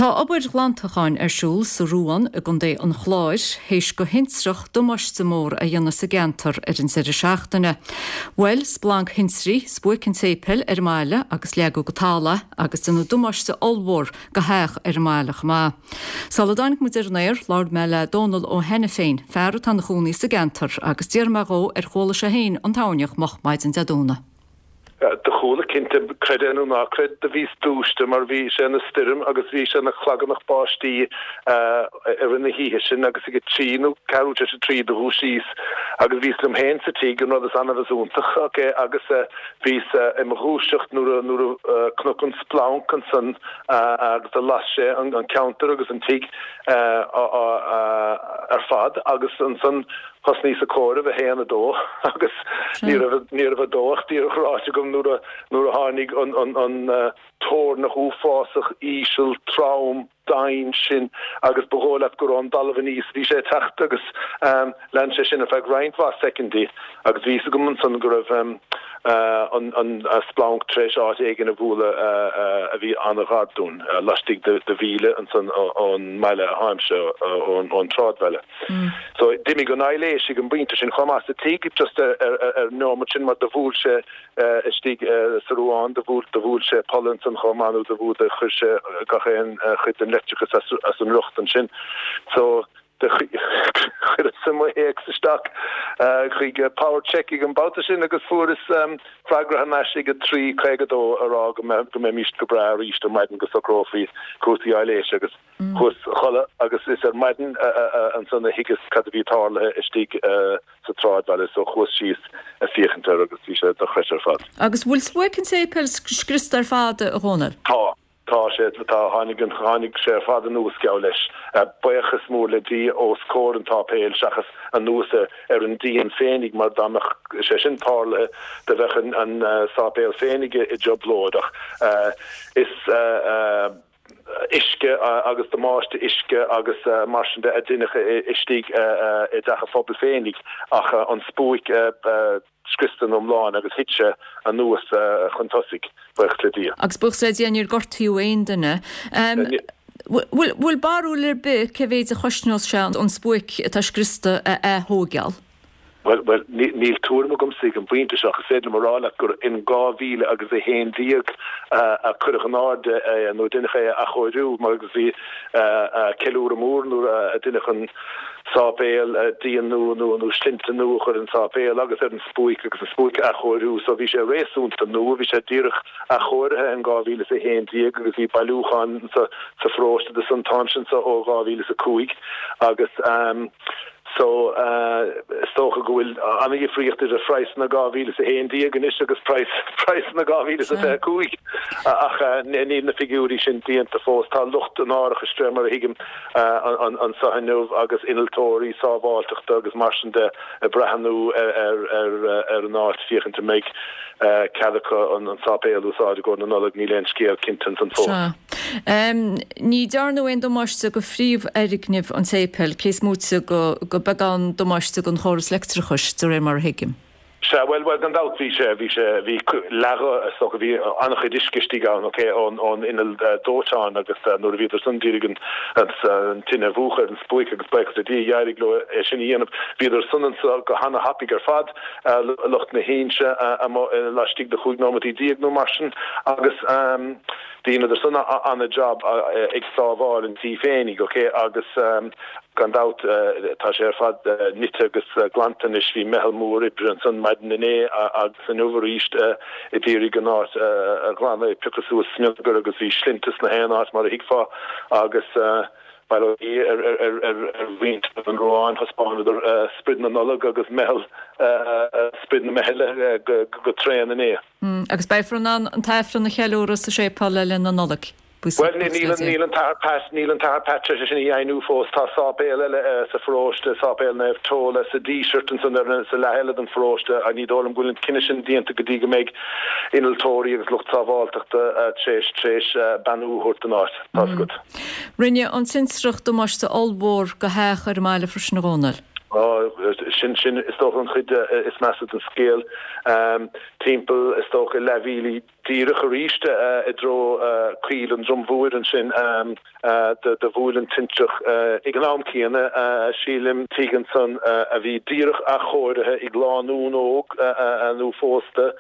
Tá obair ghlantacháin ar siúl sa Ruán i gContae an Chláir théis go thintreach damáiste mór a dhéanamh sa gceantar ar an deireadh seachtaine. Bhuail splanc thintrí spuaic an tséipéil ar an mbaile agus leagadh go talamh é agus déanadh damáiste ollmhór go theach ar an mbaile chomh maith. Sula dtáinig muid ar an aer, labhair mé le Dónal Ó hAiniféin, fear atá ina chónaí sa gceantar, agus d'fhiafraigh mé dhó ar chuala sé féin an toirneach moch maidin Dé Domhnaigh. Do chuala, cinnte. Creid é nó ná creid, do bhíos dúiste mar bhí sé ina stoirm agus bhí sé ina chlagarnach báistí i rith na hoíche sin agus ag a trí nó ceathrú tar éis a trí do dhúisíos agus bhíos liom féin sa tigh, an rud is annamh is iontach, ok, agus bhíos i mo dhúiseacht nuair a nuair a chonac an splanc ansan agus do las sé an ceantar agus an tigh ar fad agus ansan Thosnaíos ag comhaireamh, 1, 2, agus ní raibh, ní raibh a dó ach díreach ráite agam nuair a, nuair a tháinig an, an, an toirneach uafásach, íseal, trom, domhain sin agus ba dhóigh leat gur ón dtalamh aníos a bhí sé ag teacht agus lean sé sin ar feadh roinnt mhaith soicindí agus bhí fhios agam ansan go raibh an, an splanc tar éis áit éigin a bhualadh a bhí an-ghar dúinn, laistigh de, de mhíle ansan ón mbaile a tháimse, ón, ón tsráidbhaile. So d'imigh an aibhléis ag an bpointe sin chomh maith sa tigh just ar an neomat sin mar do bhuail sé istigh sa Ruán, do bhuail, do bhuail sé polla ansan chomh maith nó do bhuail, do chuir sé gach aon chuid den leictreachas as, as an riocht ansin. So do chuireas mo théacs isteach chuig Power Check ag an babhta sin agus fuaireas freagra thar n-ais ag 3:52 a rá go mbeadh, go mbeimis go breá arís ar maidin go socrófaí cúrsaí aibhléise agus Chuas a chodladh agus is ar maidin ansan a thuigeas cad a bhí tarlaithe istigh sa tsráidbhaile so chuas síos a féachaint air agus bhí sé dochreidte ar fad. Agus bhfuil spuaic an tséipéil scriosta ar fad, a Dhónaill? Tá. Tá sé, tá. Tháinig an, tháinig sé ar fad anuas geall leis. Buíochas mór le Dia os comhair an tsáipéil seachas anuas ar an díon féinig mar dá mbeadh sé sin tarlaithe do bheadh an, an sáipéal féinig i dtrioblóid ach is uisce agus damáiste uisce agus mar sin de a deineadh istigh i dteach an phobail féinig ach an spuaic scriosta ina iomláine agus thit sé anuas chun tosaigh, buíochas le Dia. Agus buíochas le Dia níor gortaíodh aon duine. Bhfuil barúil ar bith cé mhéid a chosnós sé an spuaic atá scriosta a ath-thóigeáil? Bhuel, bhuel, níl tuairim agamsa ag an bpointe seo ach is féidir liom a rá leat gur in 2000 agus 11 a cuireadh in airde é nó deineadh é a athchóiriú mar agus bhí ceiliúradh mór nuair a deineadh an sáipéal, díon nua nó nó slinnte nua a chur ar an sáipéal agus ar an spuaic agus an spuaic a athchóiriú so bhí sé réasúnta nua, bhí sé díreach athchóirithe in 2011 agus bhí bailiúchán sa pharóiste de san t-am sin so ó 2005 agus. So, is dócha go bhfuil an-dhifríocht idir phraghsanna 2011 anois agus praghsanna 2025, ach níl na figiúirí sin déanta fós. Tá lucht an árachais, de réir mar a thuigim, anseo inniu agus innealtóirí sábháilteachta agus mar sin de ag breathnú ar an áit féachaint an mbeidh cead acu an sáipéal a úsáid i gcomhair na Nollag. Níl aon scéal cinnte ansan fós. Ní dearnadh aon damáiste go phríomhfhoirgneamh an tséipéil, cé is móite go beagán damáiste don chóras leictreachais, de réir mar a thuigim. Sea, bhuel, bhuel, gan dabht bhí sé, bhí sé, bhí leathadh, is dócha, bhí an-chuid uisce istigh ann, ok, ón, ón inneall dóiteáin agus nuair a bhíodar san d'iarraidh an, an tine a mhúchadh ar an spuaic agus buíochas le Dia d'éirigh leo é sin a dhéanamh. Bhíodar san anso go hana-thapaidh ar fad, lucht na hInse amuigh laistigh de chúig nóimeataí déag nó mar sin agus, Dheineadar san ana-jab ag sábháil an tí féinig, ok, agus gan dabht tá sé ar fad nite agus glanta anois. Bhí meitheal mór oibre ansan maidin inné agus inniu arís ag iarraidh an áit a ghlanadh, ag piocadh suas smionagar agus bhí slinnte sna haon áit mar a thuigfeá agus bail ó Dhia ar mhuintir an Ruáin, thaispeánadar sprid na Nollag agus meitheal, sprid na meithle go tréan inné. Agus beifear in ann an tAifreann a cheiliúradh sa séipéal le linn na Nollag, Bhuel, níl an tAthair Pat, níl an tAthair Pat tar éis é sin a dheimhniú fós. Tá sáipéal eile sa pharóiste, Sáipéal Naomh Tola sa Díseart ansan ar an, sa leath eile den pharóiste. Ní dóigh liom go bhfuil an cinneadh sin déanta go dtí go mbeidh innealtóirí agus lucht sábháilteachta tar éis, tar éis beannú a thabhairt don áit. Tá's agat. Rinne an tintreach damáiste ollmhór go theach ar an mbaile freisin a Dhónaill. Ó, 'sea. Sin, sin is dócha an chuid is measa den scéal. Timpeall is dócha leathmhíle díreach arís i dtreo Coill an Drom Mhóir ansin do bhuail an tintreach ag an am céanna, sílim, tigh ansan a bhí díreach athchóirithe ag lánúin óg nuaphósta,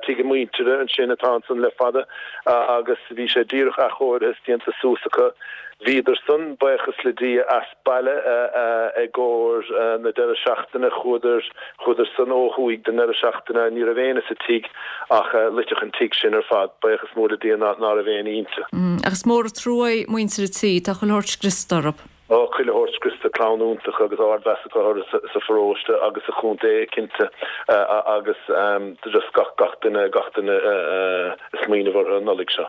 tigh a muintire ansin atá ansan le fada agus bhí sé díreach athchóirithe is déanta suas acu. Bhíodar san, buíochas le Dia, as baile i gcomhair na deireadh seachtaine. Chuadar, chuadar san ó thuaidh don ndeireadh seachtaine. Ní raibh éinne sa tigh ach loiteadh an tigh sin ar fad. Buíochas mór le Dia ná raibh éinne inti. Ach is mór an trua é muintir an tí. Tá chuile shórt scriosta orthu. Ó, chuile shórt scriosta, clann iontach agus ardmheas acu orthu sa pharóiste agus sa chontae cinnte agus just gach, gach duine, gach duine ag smaoineamh orthu an Nollaig seo.